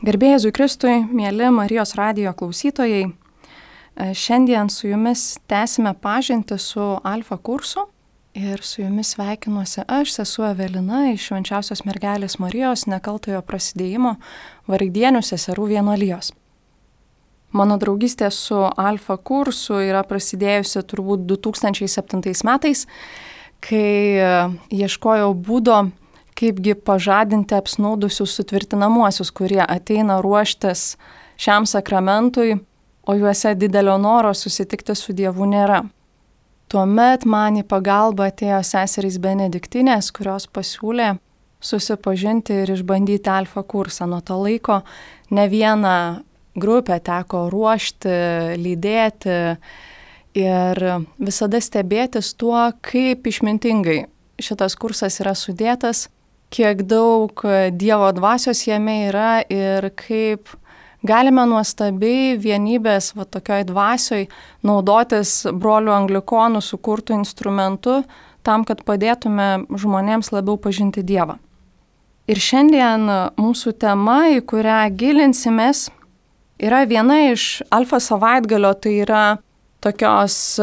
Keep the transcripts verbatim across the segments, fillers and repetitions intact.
Garbė Jėzui Kristui, mieli Marijos radijo klausytojai, šiandien su jumis tęsime pažintį su Alfa kursu ir su jumis sveikinuosi aš, sesuo Evelina iš Švenčiausios mergelės Marijos nekaltojo prasidėjimo Vargdienių seserų vienuolijos. Mano draugystė su Alfa kursu yra prasidėjusi turbūt du tūkstančiai septintais metais, kai ieškojau būdo, kaipgi pažadinti apsnūdusius sutvirtinamuosius, kurie ateina ruoštis šiam sakramentui, o juose didelio noro susitikti su Dievu nėra. Tuomet man į pagalbą atėjo seserys Benediktinės, kurios pasiūlė susipažinti ir išbandyti Alfa kursą. Nuo to laiko ne vieną grupę teko ruošti, lydėti ir visada stebėtis tuo, kaip išmintingai šitas kursas yra sudėtas, kiek daug Dievo dvasios jame yra ir kaip galime nuostabiai vienybės va tokioj dvasioj naudotis brolių anglikonų sukurtų instrumentų tam, kad padėtume žmonėms labiau pažinti Dievą. Ir šiandien mūsų tema, į kurią gilinsimės, yra viena iš Alfa savaitgalio, tai yra tokios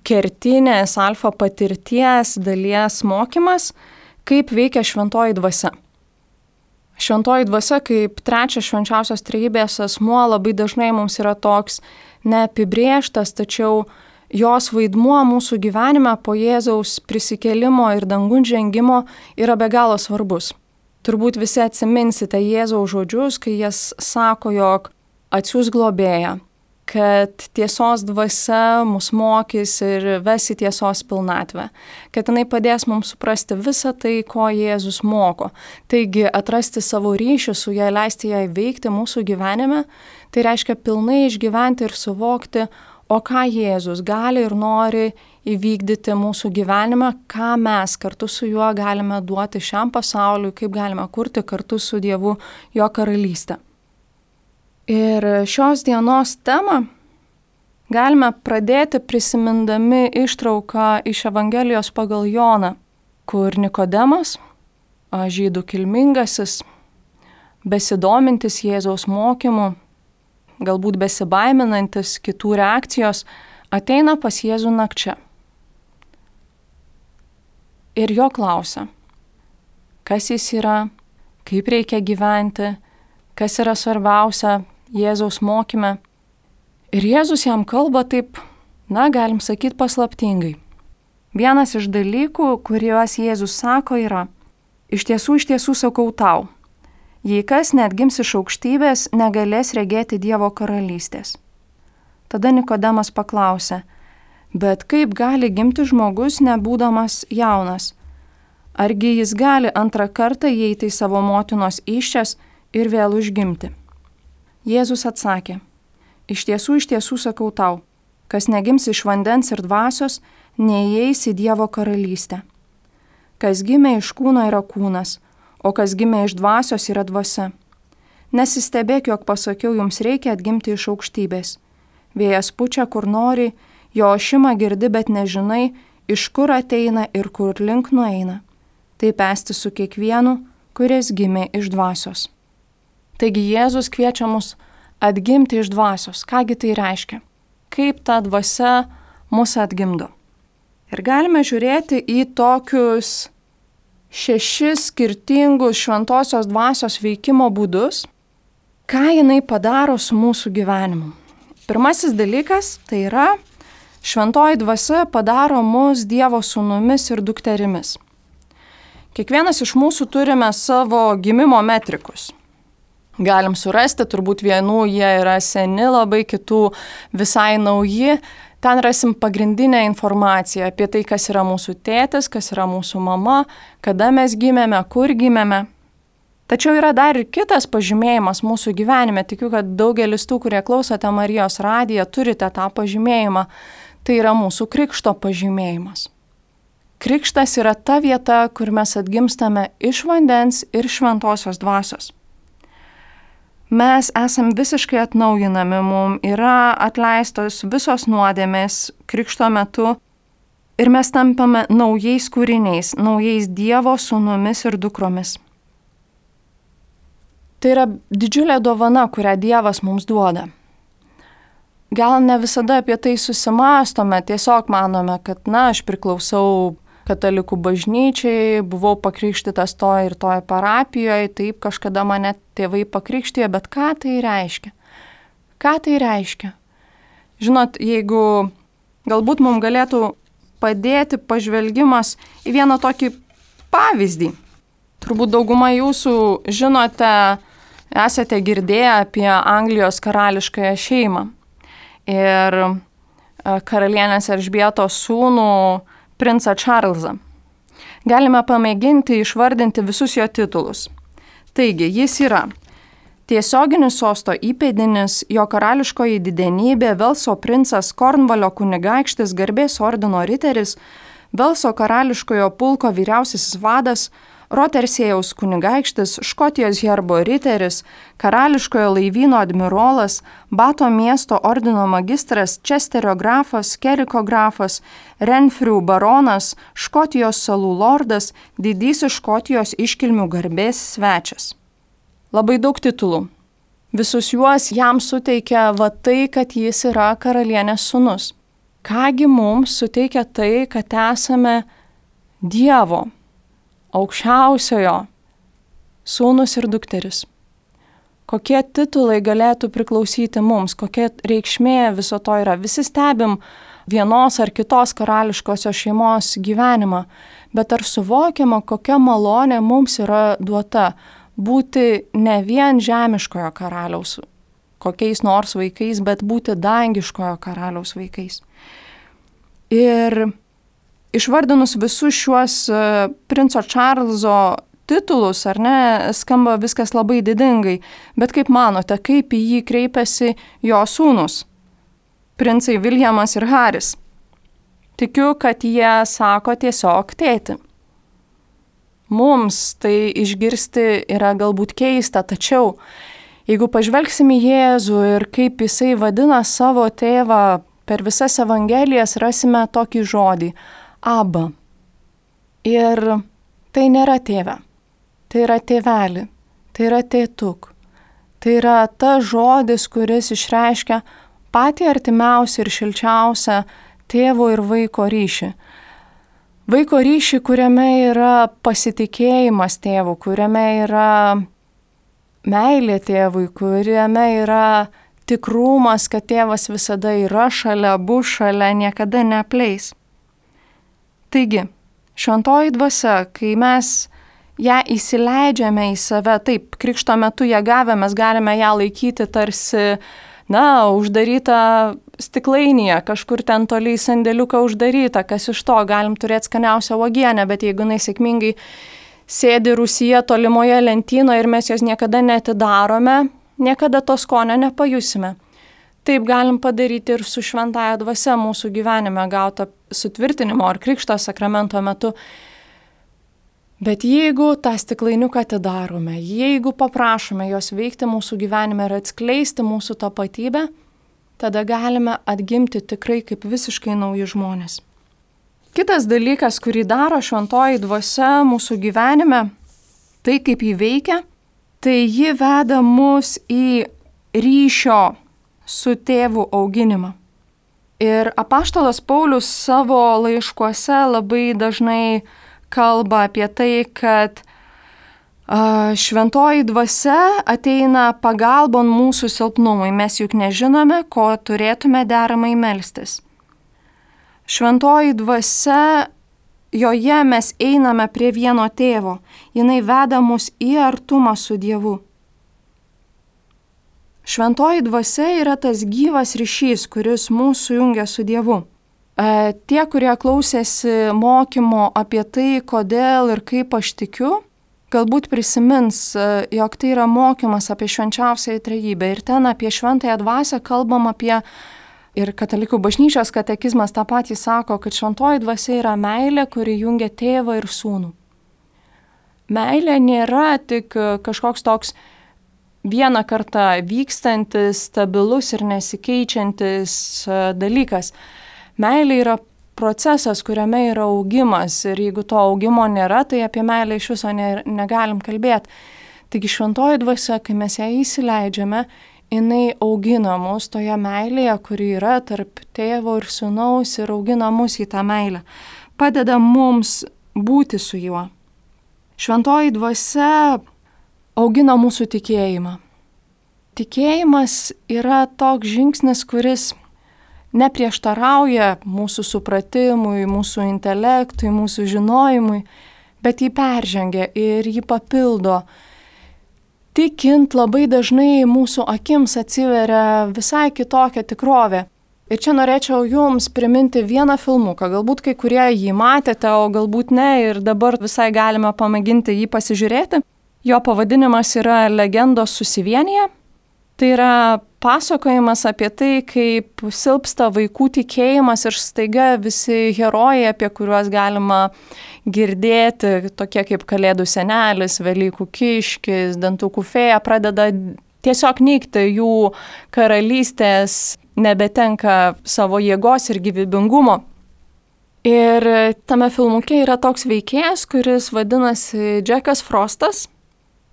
kertinės Alfa patirties dalies mokymas, kaip veikia šventoji dvasia. Šventoji dvasia kaip trečias švenčiausios trejybės asmuo labai dažnai mums yra toks neapibrėžtas, tačiau jos vaidmuo mūsų gyvenime po Jėzaus prisikėlimo ir dangun žengimo yra be galo svarbus. Turbūt visi atsiminsite Jėzaus žodžius, kai jis sako, jog atsiųs globėją, kad tiesos dvasia mus mokys ir ves į tiesos pilnatvę, kad jinai padės mums suprasti visą tai, ko Jėzus moko. Taigi atrasti savo ryšį su ją, leisti ją veikti mūsų gyvenime, tai reiškia pilnai išgyventi ir suvokti, o ką Jėzus gali ir nori įvykdyti mūsų gyvenime, ką mes kartu su juo galime duoti šiam pasauliui, kaip galime kurti kartu su Dievu jo karalystę. Ir šios dienos temą galime pradėti prisimindami ištrauką iš Evangelijos pagal Joną, kur Nikodemas, žydų kilmingasis, besidomintis Jėzaus mokymu, galbūt besibaiminantis kitų reakcijos, ateina pas Jėzų nakčia. Ir jo klausia, kas jis yra, kaip reikia gyventi, kas yra svarbiausia Jėzaus mokyme. Ir Jėzus jam kalba taip, na, galim sakyti, paslaptingai. Vienas iš dalykų, kuriuos Jėzus sako, yra, iš tiesų, iš tiesų sakau tau, jei kas neatgims iš aukštybės, negalės regėti Dievo karalystės. Tada Nikodemas paklausė, bet kaip gali gimti žmogus, nebūdamas jaunas? Argi jis gali antrą kartą įeiti į savo motinos įsčias ir vėl užgimti? Jėzus atsakė, iš tiesų, iš tiesų sakau tau, kas negims iš vandens ir dvasios, neįeis į Dievo karalystę. Kas gimė iš kūno yra kūnas, o kas gimė iš dvasios yra dvasia. Nesistebėk, jog pasakiau, jums reikia atgimti iš aukštybės. Vėjas pučia, kur nori, jo ošimą girdi, bet nežinai, iš kur ateina ir kur link nueina. Taip esti su kiekvienu, kuris gimė iš dvasios. Taigi Jėzus kviečia mus atgimti iš dvasios. Kągi tai reiškia? Kaip ta dvasia mus atgimdo? Ir galime žiūrėti į tokius šešis skirtingus šventosios dvasios veikimo būdus, ką jinai padaro su mūsų gyvenimu. Pirmasis dalykas tai yra, šventoji dvasia padaro mus Dievo sūnumis ir dukterimis. Kiekvienas iš mūsų turime savo gimimo metrikus. Galim surasti, turbūt vienų jie yra seni, labai kitų visai nauji. Ten rasim pagrindinę informaciją apie tai, kas yra mūsų tėtis, kas yra mūsų mama, kada mes gimėme, kur gimėme. Tačiau yra dar ir kitas pažymėjimas mūsų gyvenime. Tikiu, kad daugelis tų, kurie klausote Marijos radiją, turite tą pažymėjimą. Tai yra mūsų krikšto pažymėjimas. Krikštas yra ta vieta, kur mes atgimstame iš vandens ir šventosios dvasios. Mes esam visiškai atnaujinami, mums yra atleistos visos nuodėmės krikšto metu ir mes tampame naujais kūriniais, naujais Dievo sūnumis ir dukromis. Tai yra didžiulė dovana, kurią Dievas mums duoda. Gal ne visada apie tai susimąstome, tiesiog manome, kad, na, aš priklausau katalikų bažnyčiai, buvau pakrikštytas to ir toje parapijoje, taip kažkada mane tėvai pakrikštijo, bet ką tai reiškia? Ką tai reiškia? Žinot, jeigu galbūt mums galėtų padėti pažvelgimas į vieną tokį pavyzdį. Turbūt dauguma jūsų žinote, esate girdėję apie Anglijos karališkąją šeimą ir karalienės Elžbietos sūnų princą Čarlzą. Galime pamėginti išvardinti visus jo titulus. Taigi, jis yra tiesioginis sosto įpėdinis, jo karališkoji didenybė, Velso princas, Kornvalio kunigaikštis, garbės ordino riteris, Velso karališkojo pulko vyriausiasis vadas, Rotersėjaus kunigaikštis, Škotijos herbo riteris, karališkojo laivyno admirolas, Bato miesto ordino magistras, Česterio grafas, Keriko grafas, Renfrių baronas, Škotijos salų lordas, didysis Škotijos iškilmių garbės svečias. Labai daug titulų. Visus juos jam suteikia va tai, kad jis yra karalienės sūnus. Kągi mums suteikia tai, kad esame Dievo, aukščiausiojo sūnus ir dukteris. Kokie titulai galėtų priklausyti mums, kokia reikšmė viso to yra. Visi stebim vienos ar kitos karališkosios šeimos gyvenimą, bet ar suvokiama, kokia malonė mums yra duota būti ne vien žemiškojo karaliaus kokiais nors vaikais, bet būti dangiškojo karaliaus vaikais. Ir išvardinus visus šiuos princo Čarlzo titulus, ar ne, skamba viskas labai didingai, bet kaip manote, kaip į jį kreipiasi jo sūnus, princai Viljamas ir Haris? Tikiu, kad jie sako tiesiog tėti. Mums tai išgirsti yra galbūt keista, tačiau jeigu pažvelgsime į Jėzų ir kaip jisai vadina savo tėvą per visas evangelijas, rasime tokį žodį – Aba. Ir tai nėra tėve, tai yra tėveli, tai yra tėtuk. Tai yra tas žodis, kuris išreiškia patį artimiausią ir šilčiausią tėvo ir vaiko ryšį. Vaiko ryšį, kuriame yra pasitikėjimas tėvu, kuriame yra meilė tėvui, kuriame yra tikrumas, kad tėvas visada yra šalia, bus šalia, niekada neapleis. Taigi, šventoji dvasia, kai mes ją įsileidžiame į save, taip, krikšto metu ją gavę, mes galime ją laikyti tarsi, na, uždarytą stiklainyje, kažkur ten toliai sandėliuką uždarytą, kas iš to, galim turėti skaniausią uogienę, bet jeigu jinai sėkmingai sėdi rūsyje tolimoje lentynoje ir mes jos niekada neatidarome, niekada to skonio nepajusime. Taip galim padaryti ir su šventąja dvasia mūsų gyvenime gauta sutvirtinimo ar krikšto sakramento metu. Bet jeigu tą stiklainiuką atidarome, jeigu paprašome jos veikti mūsų gyvenime ir atskleisti mūsų tapatybę, tada galime atgimti tikrai kaip visiškai nauji žmonės. Kitas dalykas, kurį daro šventoji dvasia mūsų gyvenime, tai kaip jį veikia, tai ji veda mus į ryšio su tėvu auginimą. Ir apaštalas Paulius savo laiškuose labai dažnai kalba apie tai, kad a, šventoji dvasia ateina pagalbon mūsų silpnumui. Mes juk nežinome, ko turėtume deramai melstis. Šventoji dvasia, joje mes einame prie vieno tėvo. Jinai veda mus į artumą su Dievu. Šventoji dvasia yra tas gyvas ryšys, kuris mūsų jungia su Dievu. E, tie, kurie klausėsi mokymo apie tai, kodėl ir kaip aš tikiu, galbūt prisimins, jog tai yra mokymas apie švenčiausiąją trejybę. Ir ten apie šventąją dvasią kalbam apie, ir katalikų bažnyčios katekizmas tą patį sako, kad šventoji dvasia yra meilė, kuri jungia tėvą ir sūnų. Meilė nėra tik kažkoks toks vieną kartą vykstantis, stabilus ir nesikeičiantis dalykas. Meilė yra procesas, kuriame yra augimas ir jeigu to augimo nėra, tai apie meilę iš viso ne, negalim kalbėti. Taigi šventoji dvasia, kai mes ją įsileidžiame, jinai augina mus toje meilėje, kuri yra tarp tėvo ir sūnaus ir augina mus į tą meilę. Padeda mums būti su juo. Šventoji dvasia augina mūsų tikėjimą. Tikėjimas yra toks žingsnis, kuris neprieštarauja mūsų supratimui, mūsų intelektui, mūsų žinojimui, bet jį peržengia ir jį papildo. Tikint labai dažnai mūsų akims atsiveria visai kitokia tikrovė. Ir čia norėčiau jums priminti vieną filmuką, galbūt kai kurie jį matėte, o galbūt ne, ir dabar visai galime pamėginti jį pasižiūrėti. Jo pavadinimas yra Legendos susivienyje. Tai yra pasakojimas apie tai, kaip silpsta vaikų tikėjimas ir staiga visi herojai, apie kuriuos galima girdėti, tokie kaip Kalėdų senelis, Velykų kiškis, Dantukų fėja, pradeda tiesiog nykti, jų karalystės nebetenka savo jėgos ir gyvybingumo. Ir tame filmuke yra toks veikėjas, kuris vadinasi Džekas Frostas.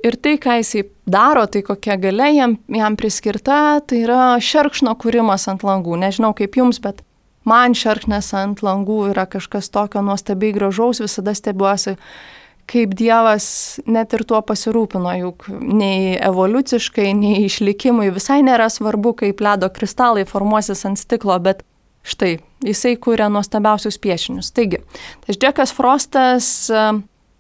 Ir tai, ką jisai daro, tai kokia galia jam, jam priskirta, tai yra šerkšno kūrimas ant langų. Nežinau kaip jums, bet man šerkšnas ant langų yra kažkas tokio nuostabiai gražaus, visada stebiuosi, kaip Dievas net ir tuo pasirūpino, juk nei evoliuciškai, nei išlikimui visai nėra svarbu, kaip ledo kristalai formuosis ant stiklo, bet štai, jisai kūrė nuostabiausius piešinius. Taigi, tas Džekas Frostas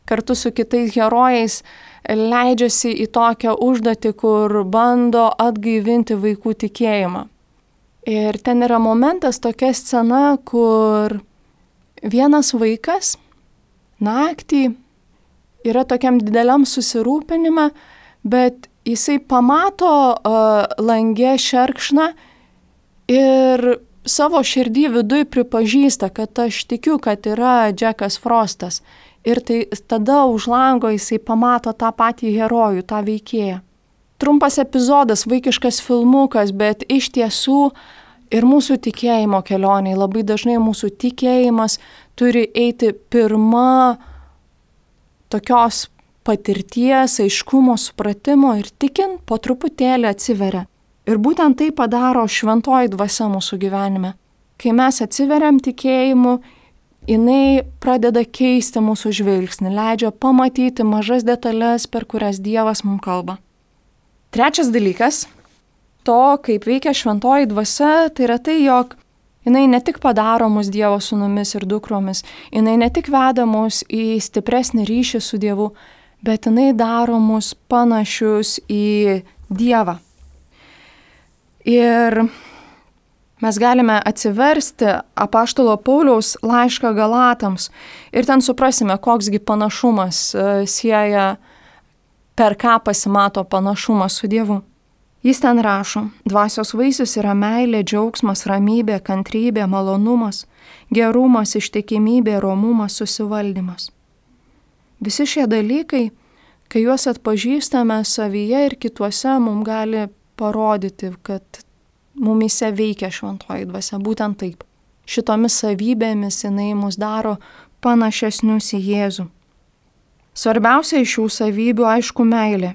kartu su kitais herojais leidžiasi į tokią užduotį, kur bando atgaivinti vaikų tikėjimą. Ir ten yra momentas, tokia scena, kur vienas vaikas naktį yra tokiam dideliam susirūpinime, bet jisai pamato uh, langė šerkšną ir savo širdį viduj pripažįsta, kad aš tikiu, kad yra Džekas Frostas. Ir tai tada už lango jisai pamato tą patį herojų, tą veikėją. Trumpas epizodas, vaikiškas filmukas, bet iš tiesų ir mūsų tikėjimo kelioniai, labai dažnai mūsų tikėjimas turi eiti pirma tokios patirties, aiškumo, supratimo ir tikint po truputėlį atsiveria. Ir būtent tai padaro šventoji dvasia mūsų gyvenime. Kai mes atsiveriam tikėjimu, jinai pradeda keisti mūsų žvilgsnį, leidžia pamatyti mažas detalės, per kurias Dievas mums kalba. Trečias dalykas to, kaip veikia šventoji dvasia, tai yra tai, jog jinai ne tik padaro mus Dievo sūnumis ir dukromis, jinai ne tik veda mus į stipresnį ryšį su Dievu, bet jinai daro mus panašius į Dievą. Ir mes galime atsiversti apaštalo Pauliaus laišką Galatams ir ten suprasime, koksgi panašumas sieja, per ką pasimato panašumas su Dievu. Jis ten rašo, dvasios vaisius yra meilė, džiaugsmas, ramybė, kantrybė, malonumas, gerumas, ištikimybė, romumas, susivaldymas. Visi šie dalykai, kai juos atpažįstame savyje ir kituose, mums gali parodyti, kad mumise veikia šventoji dvasia, būtent taip. Šitomis savybėmis jinai mus daro panašesnius į Jėzų. Svarbiausia iš šių savybių, aišku, meilė.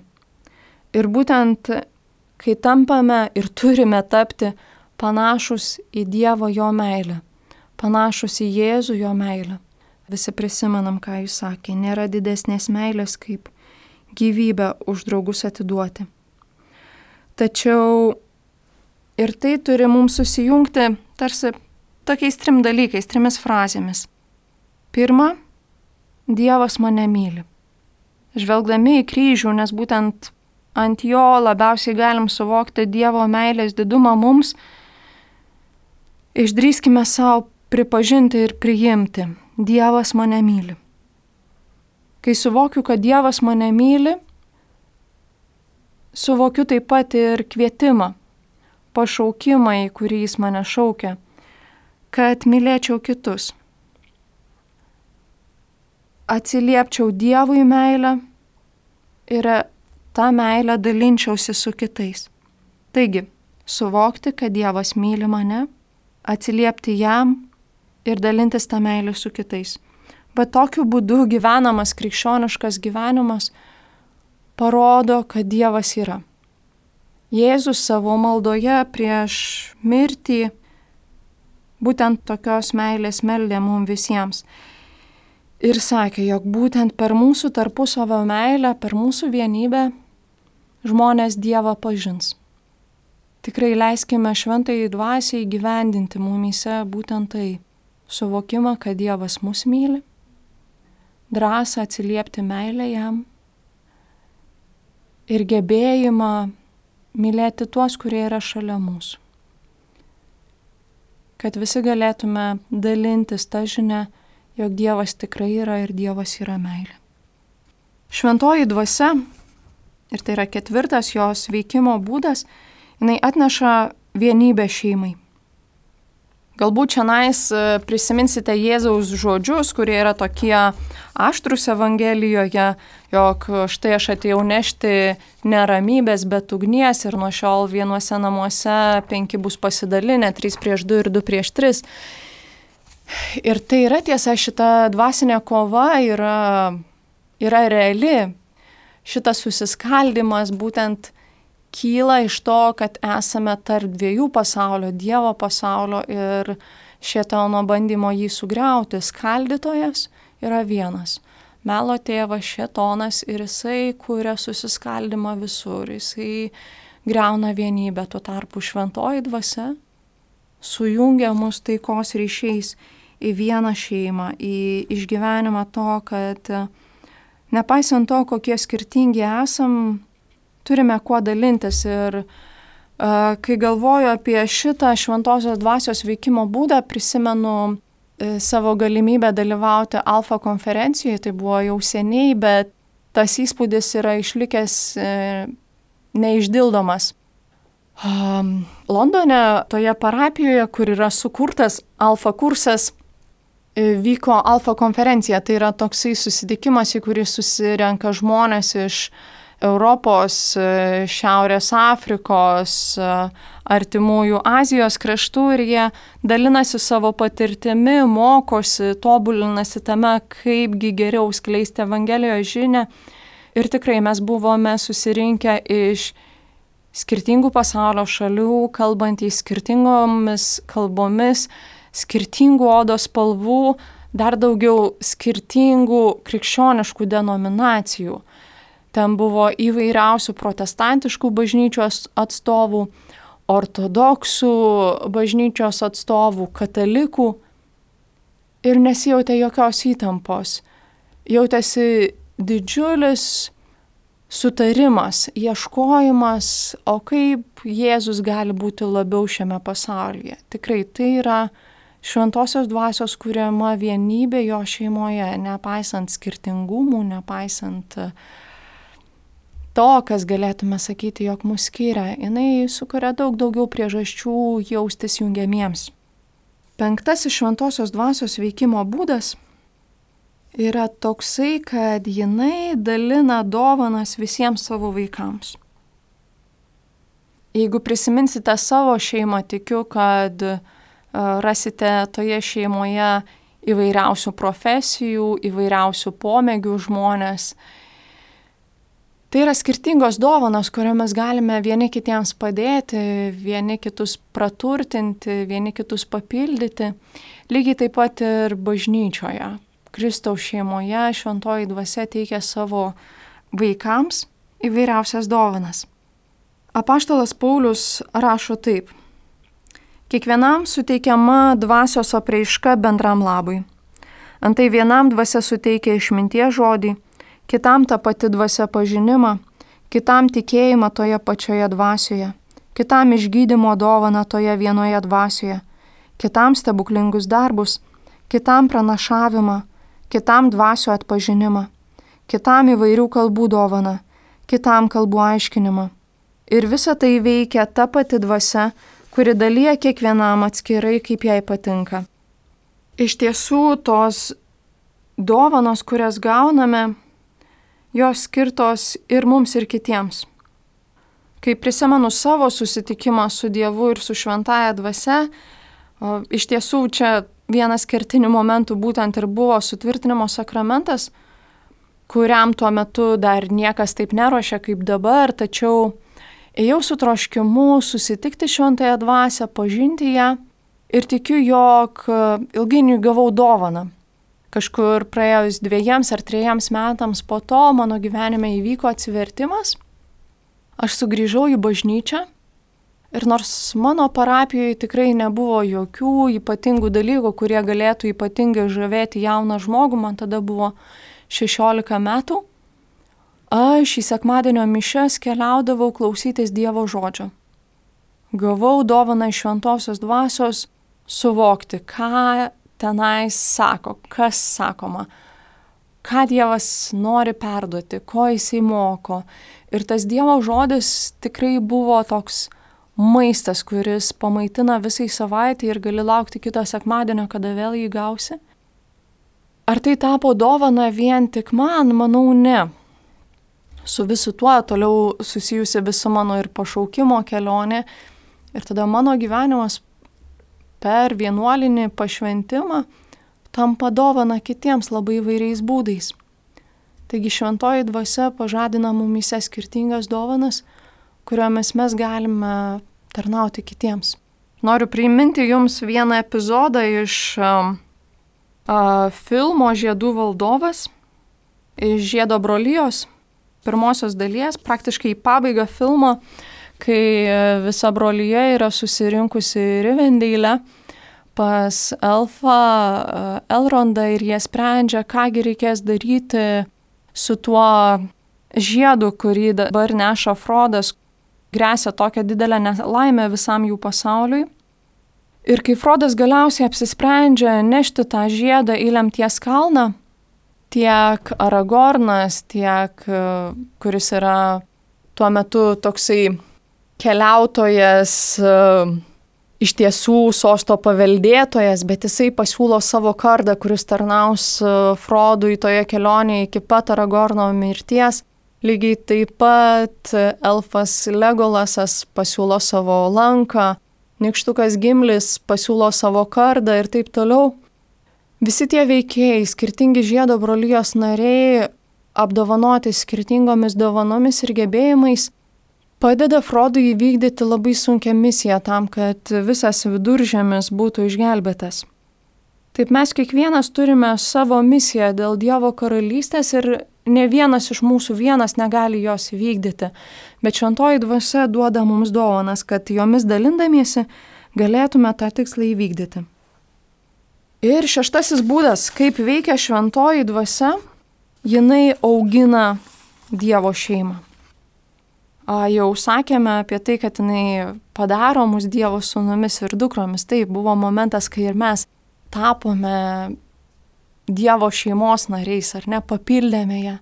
Ir būtent, kai tampame ir turime tapti panašus į Dievo jo meilę, panašus į Jėzų jo meilę. Visi prisimenam, ką jis sakė, nėra didesnės meilės, kaip gyvybę už draugus atiduoti. Tačiau ir tai turi mums susijungti tarsi tokiais trim dalykais, trimis frazėmis. Pirma, Dievas mane myli. Žvelgdami į kryžių, nes būtent ant jo labiausiai galim suvokti Dievo meilės didumą mums, išdrįskime savo pripažinti ir priimti. Dievas mane myli. Kai suvokiu, kad Dievas mane myli, suvokiu taip pat ir kvietimą, pašaukimą, į kurį jis mane šaukia, kad mylėčiau kitus. Atsiliepčiau Dievui meilę ir tą meilę dalinčiausi su kitais. Taigi, suvokti, kad Dievas myli mane, atsiliepti jam ir dalintis tą meilę su kitais. Bet tokiu būdu gyvenamas krikščioniškas gyvenimas parodo, kad Dievas yra. Jėzus savo maldoje prieš mirtį būtent tokios meilės meldė mums visiems. Ir sakė, jog būtent per mūsų tarpusavio meilę, per mūsų vienybę žmonės Dievą pažins. Tikrai leiskime šventajai dvasiai gyvendinti mumyse būtent tai. Suvokimą, kad Dievas mus myli, drąsą atsiliepti meilę jam ir gebėjimą mylėti tuos, kurie yra šalia mūsų. Kad visi galėtume dalintis tą žinią, jog Dievas tikrai yra ir Dievas yra meilė. Šventoji dvasia, ir tai yra ketvirtas jos veikimo būdas, jinai atneša vienybę šeimai. Galbūt šiandien prisiminsite Jėzaus žodžius, kurie yra tokie aštrūs Evangelijoje, jog štai aš atėjau nešti neramybės, bet ugnies ir nuo šiol vienuose namuose penki bus pasidalinę, trys prieš du ir du prieš tris. Ir tai yra tiesa, šita dvasinė kova yra, yra reali. Šitas susiskaldimas būtent kyla iš to, kad esame tarp dviejų pasaulio, Dievo pasaulio ir šėtono bandymo jį sugriauti. Skaldytojas yra vienas. Melo tėvas šėtonas ir jisai kuria susiskaldimą visur. Jisai griauna vienybę. Tuo tarpu šventoji dvasia sujungia mus taikos ryšiais į vieną šeimą, į išgyvenimą to, kad nepaisant to, kokie skirtingi esam, turime kuo dalintis ir uh, kai galvoju apie šitą šventosios dvasios veikimo būdą, prisimenu uh, savo galimybę dalyvauti Alfa konferencijoje, tai buvo jau seniai, bet tas įspūdis yra išlikęs uh, neišdildomas. Um, Londone, toje parapijoje, kur yra sukurtas Alfa kursas, uh, vyko Alfa konferencija, tai yra toksai susitikimas, į kurį susirenka žmonės iš Europos, Šiaurės Afrikos, artimųjų Azijos kraštų ir jie dalinasi savo patirtimi, mokosi, tobulinasi tame, kaipgi geriau skleisti Evangelijos žinią. Ir tikrai mes buvome susirinkę iš skirtingų pasaulio šalių, kalbantys skirtingomis kalbomis, skirtingų odos spalvų, dar daugiau skirtingų krikščioniškų denominacijų. Ten buvo įvairiausių protestantiškų bažnyčios atstovų, ortodoksų bažnyčios atstovų, katalikų ir nesijautė jokios įtampos. Jautėsi didžiulis sutarimas, ieškojimas, o kaip Jėzus gali būti labiau šiame pasaulyje. Tikrai tai yra šventosios dvasios kuriama vienybė jo šeimoje, nepaisant skirtingumų, nepaisant to, kas galėtume sakyti, jog mus skiria, jinai sukuria daug daugiau priežasčių jaustis jungiamiems. Penktasis šventosios dvasios veikimo būdas yra toksai, kad jinai dalina dovanas visiems savo vaikams. Jeigu prisiminsite savo šeimą, tikiu, kad uh, rasite toje šeimoje įvairiausių profesijų, įvairiausių pomėgių žmonės. Tai yra skirtingos dovanos, kuriomis galime vieni kitiems padėti, vieni kitus praturtinti, vieni kitus papildyti. Lygiai taip pat ir bažnyčioje. Kristaus šeimoje šventoji dvasia teikia savo vaikams įvairiausias dovanas. Apaštalas Paulius rašo taip. Kiekvienam suteikiama dvasios apraiška bendram labui. Antai vienam dvasia suteikia išminties žodį, kitam ta pati dvasia pažinimą, kitam tikėjimą toje pačioje dvasioje, kitam išgydymo dovaną toje vienoje dvasioje, kitam stebuklingus darbus, kitam pranašavimą, kitam dvasio atpažinimą, kitam įvairių kalbų dovaną, kitam kalbų aiškinimą. Ir visa tai veikia ta pati dvasia, kuri dalyja kiekvienam atskirai, kaip jai patinka. Iš tiesų, tos dovanos, kurias gauname, jos skirtos ir mums, ir kitiems. Kai prisimenu savo susitikimą su Dievu ir su šventąja dvasia, o, iš tiesų čia vienas kertinių momentų būtent ir buvo sutvirtinimo sakramentas, kuriam tuo metu dar niekas taip neruošia kaip dabar, tačiau ėjau su troškimu susitikti šventąją dvasią, pažinti ją ir tikiu, jog ilgainiui gavau dovaną. Kažkur praėjus dviejiems ar trejiems metams po to mano gyvenime įvyko atsivertimas. Aš sugrįžau į bažnyčią ir nors mano parapijoje tikrai nebuvo jokių ypatingų dalykų, kurie galėtų ypatingai žavėti jauną žmogų, man tada buvo šešiolika metų, aš į sekmadienio mišias keliaudavau klausytis Dievo žodžio. Gavau dovaną iš šventosios dvasios suvokti, ką tenais sako, kas sakoma, ką Dievas nori perduoti, ko jisai moko. Ir tas Dievo žodis tikrai buvo toks maistas, kuris pamaitina visai savaitę ir gali laukti kito sekmadienio, kada vėl jį gausi. Ar tai tapo dovana vien tik man? Manau, ne. Su visu tuo toliau susijusi visa mano ir pašaukimo kelionė. Ir tada mano gyvenimas per vienuolinį pašventimą tampa dovana kitiems labai įvairiais būdais. Taigi šventoji dvasia pažadina mumyse skirtingas dovanas, kuriomis mes galime tarnauti kitiems. Noriu priminti jums vieną epizodą iš uh, uh, filmo Žiedų valdovas, iš Žiedo brolijos, pirmosios dalies, praktiškai į pabaigą filmo, kai visa brolyje yra susirinkusi Rivendeilę pas Elfą, Elrondą ir jie sprendžia, kągi reikės daryti su tuo žiedu, kurį dabar neša Frodas, gresia tokią didelę nelaimę visam jų pasauliui. Ir kai Frodas galiausiai apsisprendžia nešti tą žiedą į lemties kalną, tiek Aragornas, tiek kuris yra tuo metu toksai keliautojas, iš tiesų sosto paveldėtojas, bet jisai pasiūlo savo kardą, kuris tarnaus Frodui toje kelionėje iki pat Aragorno mirties. Lygiai taip pat elfas Legolasas pasiūlo savo lanką, nykštukas Gimlis pasiūlo savo kardą ir taip toliau. Visi tie veikėjai, skirtingi Žiedo brolijos nariai, apdovanoti skirtingomis dovanomis ir gebėjimais, padeda Frodui įvykdyti labai sunkią misiją tam, kad visas viduržemis būtų išgelbėtas. Taip mes kiekvienas turime savo misiją dėl Dievo karalystės ir ne vienas iš mūsų vienas negali jos įvykdyti, bet šventoji dvasia duoda mums dovanas, kad jomis dalindamiesi galėtume tą tikslą įvykdyti. Ir šeštasis būdas, kaip veikia šventoji dvasia, jinai augina Dievo šeimą. Jau sakėme apie tai, kad jinai padaro mus Dievo sūnumis ir dukromis. Tai buvo momentas, kai ir mes tapome Dievo šeimos nariais, ar ne, papildėme ją.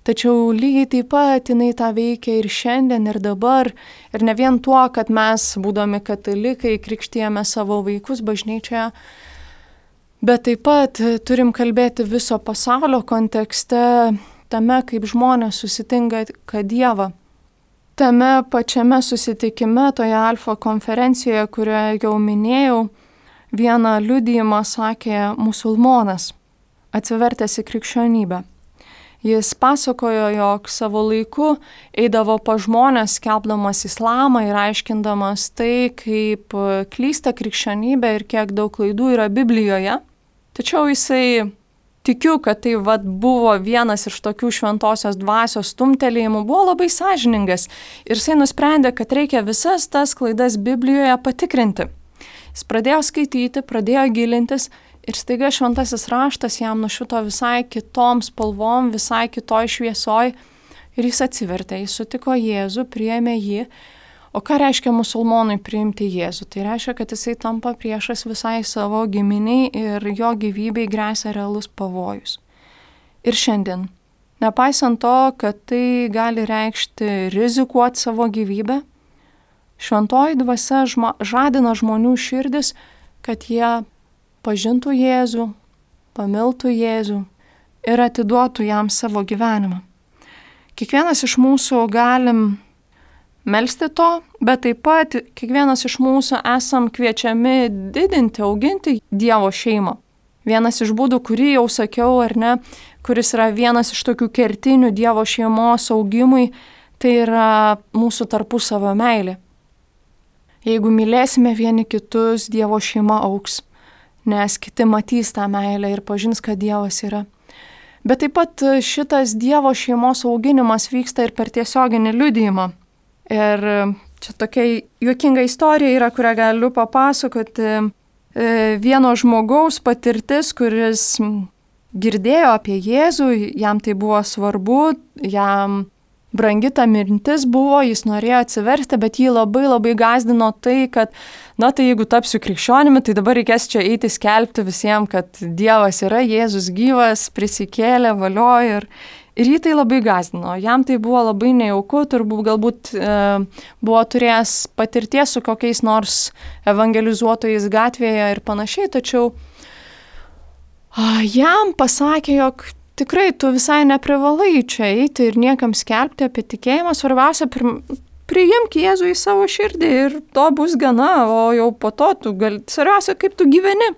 Tačiau lygiai taip pat jinai tą veikia ir šiandien, ir dabar. Ir ne vien tuo, kad mes, būdami katalikai, krikštijame savo vaikus bažnyčioje, bet taip pat turim kalbėti viso pasaulio kontekste, tame, kaip žmonės susitinka Dievą. Tame pačiame susitikime, toje Alfa konferencijoje, kurioje jau minėjau, vieną liudijimą sakė musulmonas, atsivertęs į krikščionybę. Jis pasakojo, jog savo laiku eidavo pa žmonės, skelbdamas islamą ir aiškindamas tai, kaip klysta krikščionybė ir kiek daug klaidų yra Biblijoje. Tačiau jisai, tikiu, kad tai vat, buvo vienas iš tokių šventosios dvasios stumtelėjimų, buvo labai sąžiningas ir jisai nusprendė, kad reikia visas tas klaidas Biblijoje patikrinti. Jis pradėjo skaityti, pradėjo gilintis ir staiga šventasis raštas jam nušvito visai kitom spalvom, visai kitoj šviesoj ir jis atsivertė, jis sutiko Jėzų, priėmė jį. O ką reiškia musulmonui priimti Jėzų? Tai reiškia, kad jisai tampa priešas visai savo giminiai ir jo gyvybei gresia realus pavojus. Ir šiandien, nepaisant to, kad tai gali reikšti rizikuoti savo gyvybę, šventoji dvasia žma, žadina žmonių širdis, kad jie pažintų Jėzų, pamiltų Jėzų ir atiduotų jam savo gyvenimą. Kiekvienas iš mūsų galim melsti to, bet taip pat kiekvienas iš mūsų esam kviečiami didinti, auginti Dievo šeimą. Vienas iš būdų, kurį jau sakiau, ar ne, kuris yra vienas iš tokių kertinių Dievo šeimos augimui, tai yra mūsų tarpusavio meilė. Jeigu mylėsime vieni kitus, Dievo šeima augs, nes kiti matys tą meilę ir pažins, kad Dievas yra. Bet taip pat šitas Dievo šeimos auginimas vyksta ir per tiesioginį liudijimą. Ir čia tokia juokinga istorija yra, kurią galiu papasakoti. Vieno žmogaus patirtis, kuris girdėjo apie Jėzų, jam tai buvo svarbu, jam brangi ta mintis buvo, jis norėjo atsiversti, bet jį labai labai gąsdino tai, kad, na tai jeigu tapsiu krikščionimi, tai dabar reikės čia eiti skelbti visiems, kad Dievas yra, Jėzus gyvas, prisikėlė, valio ir, ir jį tai labai gąsdino. Jam tai buvo labai nejauku, turbūt galbūt e, buvo turėjęs patirties su kokiais nors evangelizuotojais gatvėje ir panašiai, tačiau a, jam pasakė, jog tikrai tu visai neprivalai čia eiti ir niekam skelbti apie tikėjimą, svarbiausia, priimk Jėzų į savo širdį ir to bus gana, o jau po to tu gali, svarbiausia, kaip tu gyveni.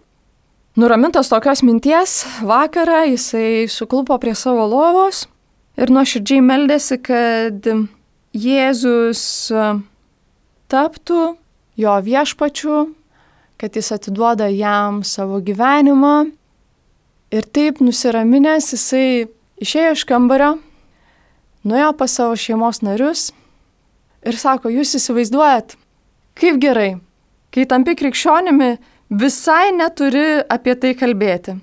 Nuramintas tokios minties, vakarą jisai suklupo prie savo lovos ir nuoširdžiai meldėsi, kad Jėzus taptų jo viešpačiu, kad jis atiduoda jam savo gyvenimą. Ir taip nusiraminęs jisai išėjo iš kambario, nuėjo pas savo šeimos narius ir sako, jūs įsivaizduojat, kaip gerai, kai tampi krikščionimi, visai neturi apie tai kalbėti.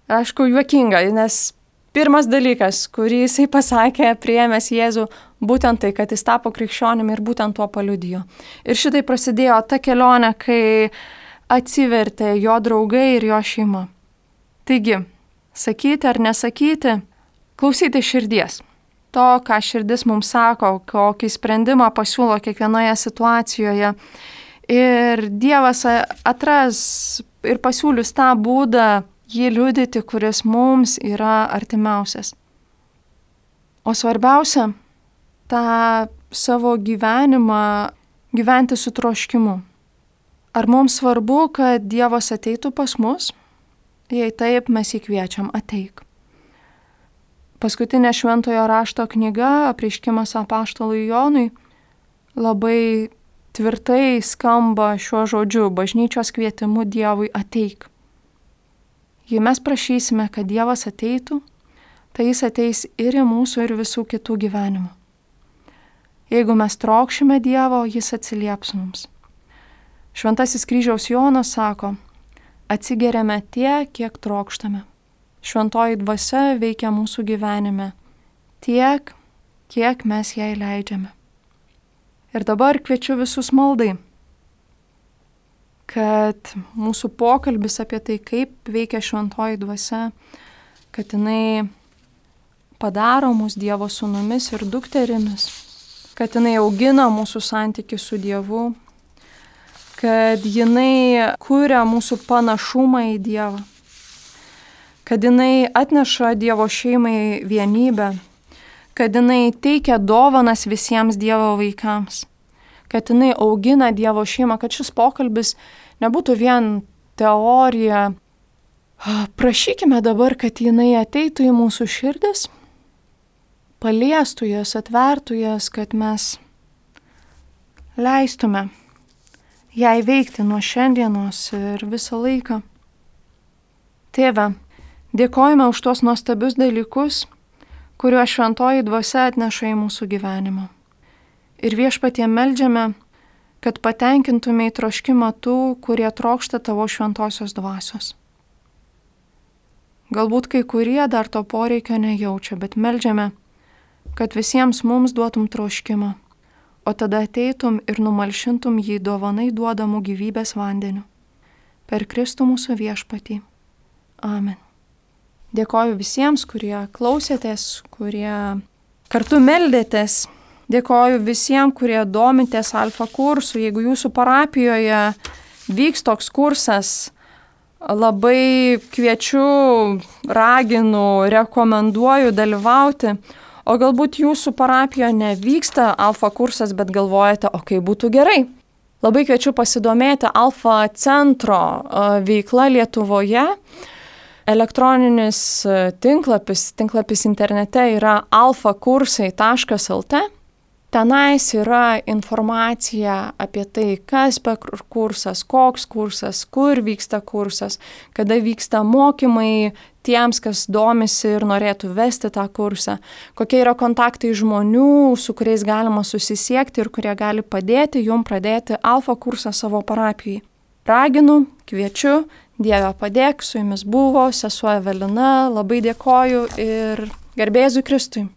Aišku, juokinga, nes pirmas dalykas, kurį jisai pasakė, priėmęs Jėzų, būtent tai, kad jis tapo krikščionimi ir būtent tuo paliudijo. Ir šitai prasidėjo ta kelionė, kai atsivertė jo draugai ir jo šeima. Taigi, sakyti ar nesakyti, klausyti širdies. To, ką širdis mums sako, kokį sprendimą pasiūlo kiekvienoje situacijoje. Ir Dievas atras ir pasiūlius tą būdą jį liudyti, kuris mums yra artimiausias. O svarbiausia, tą savo gyvenimą gyventi su troškimu. Ar mums svarbu, kad Dievas ateitų pas mus? Jei taip, mes jį kviečiam, ateik. Paskutinė šventojo rašto knyga, Apreiškimas apaštalui Jonui, labai tvirtai skamba šiuo žodžiu, bažnyčios kvietimu Dievui ateik. Jei mes prašysime, kad Dievas ateitų, tai jis ateis ir į mūsų ir visų kitų gyvenimą. Jeigu mes trokšime Dievo, jis atsilieps mums. Šventasis kryžiaus Jonas sako, atsigeriame tiek, kiek trokštame. Šventoji dvasia veikia mūsų gyvenime tiek, kiek mes jai leidžiame. Ir dabar kviečiu visus maldai, kad mūsų pokalbis apie tai, kaip veikia šventoji dvasia, kad jinai padaro mus Dievo sūnumis ir dukterimis, kad jinai augina mūsų santykį su Dievu, kad jinai kuria mūsų panašumą į Dievą, kad jinai atneša Dievo šeimai vienybę, kad jinai teikia dovanas visiems Dievo vaikams, kad jinai augina Dievo šeimą, kad šis pokalbis nebūtų vien teorija. Prašykime dabar, kad jinai ateitų į mūsų širdis, paliestų jas, atvertų jas, kad mes leistume jai veikti nuo šiandienos ir visą laiką. Tėve, dėkojame už tuos nuostabius dalykus, kuriuos šventoji dvasia atneša į mūsų gyvenimą. Ir viešpatie meldžiame, kad patenkintume į troškimą tų, kurie trokšta tavo šventosios dvasios. Galbūt kai kurie dar to poreikio nejaučia, bet meldžiame, kad visiems mums duotum troškimą, o tada ateitum ir numalšintum jį dovanai duodamų gyvybės vandeniu. Per Kristų mūsų viešpatį. Amen. Dėkoju visiems, kurie klausėtės, kurie kartu meldėtės. Dėkoju visiems, kurie domitės alfa kursu. Jeigu jūsų parapijoje vyks toks kursas, labai kviečiu, raginu, rekomenduoju dalyvauti. O galbūt jūsų parapijoje nevyksta alfa kursas, bet galvojate, o kaip būtų gerai. Labai kviečiu pasidomėti alfa centro veikla Lietuvoje. Elektroninis tinklapis, tinklapis internete yra alfa kursai taškas el te. Tenais yra informacija apie tai, kas per kursas, koks kursas, kur vyksta kursas, kada vyksta mokymai tiems, kas domisi ir norėtų vesti tą kursą, kokie yra kontaktai žmonių, su kuriais galima susisiekti ir kurie gali padėti jum pradėti alfa kursą savo parapijai. Raginu, kviečiu, Dieve padėk, su jumis buvo sesuo Evelina, labai dėkoju ir garbė Jėzui Kristui.